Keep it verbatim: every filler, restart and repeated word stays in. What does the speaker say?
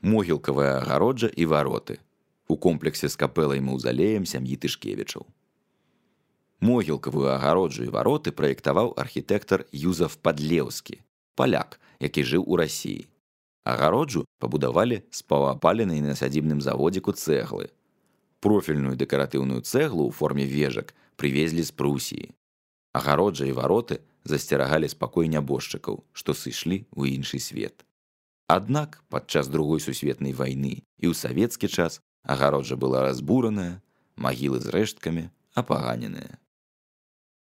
Могілкавая агароджа і вароты у комплексе з капэлай маўзалеем сям'і Тышкевічаў. Могілкавую агароджу і вароты праектаваў архітэктар Юзаф Падлеўскі, паляк, які жыў у Расіі. Агароджу пабудавалі з паўапаленай на сядзібным заводзіку цэглы. Профільную дэкаратыўную цэглу ў форме вежак прывезлі з Прусіі. Агароджа і вароты засцерагалі спакой нябожчыкаў, што сышлі ў іншы свет. Аднак падчас другой сусветнай вайны і ў савецкі час агароджа была разбураная, магілы з рэшткамі апаганеныя.